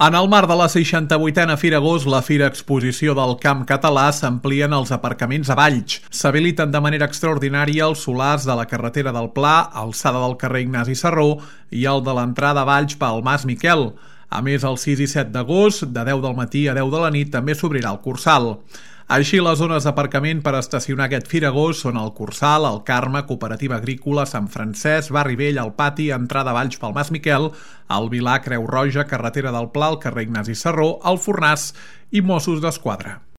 En el marc de la 68a Fira Gos, la Fira Exposició del Camp Català, s'amplien els aparcaments a Valls. S'habiliten de manera extraordinària els solars de la carretera del Pla, alçada del carrer Ignasi Serró i el de l'entrada a Valls pel Mas Miquel. A més, el 6 i 7 d'agost, de 10 del matí a 10 de la nit, també s'obrirà el Cursal. Així, les zones d'aparcament per estacionar aquest Firagós són el Cursal, el Carme, Cooperativa Agrícola, Sant Francesc, Barri Vell, el Pati, entrada a Valls pel Mas Miquel, el Vilar, Creu Roja, carretera del Pla, el carrer Ignasi Serró, el Fornàs i Mossos d'Esquadra.